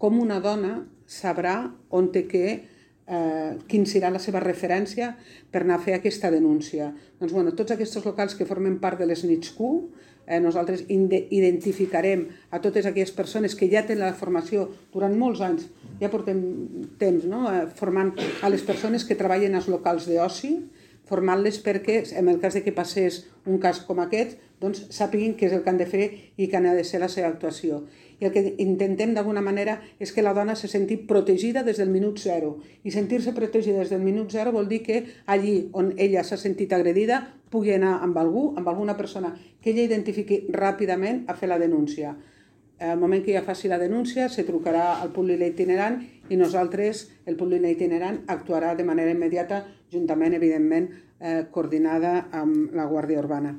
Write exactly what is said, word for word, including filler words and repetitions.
com una dona sabrà on té que, eh, quin serà la seva referència per anar a fer aquesta denúncia. Doncs, bueno, tots aquests locals que formen part de les N I T S Q, eh, nosaltres identificarem a totes aquelles persones que ja tenen la formació durant molts anys, ja portem temps, no?, eh, formant a les persones que treballen als locals d'oci, formant-les perquè, en el cas de que passés un cas com aquest, doncs sàpiguin què és el que han de fer i que ha de ser la seva actuació. I el que intentem d'alguna manera és que la dona se senti protegida des del minut zero. I sentir-se protegida des del minut zero vol dir que allí on ella s'ha sentit agredida pugui anar amb algú, amb alguna persona que ella identifiqui ràpidament a fer la denúncia. Al moment que ella faci la denúncia, se trucarà al punt lila itinerant i nosaltres, el punt lila itinerant, actuarà de manera immediata, juntament, evidentment, eh, coordinada amb la Guàrdia Urbana.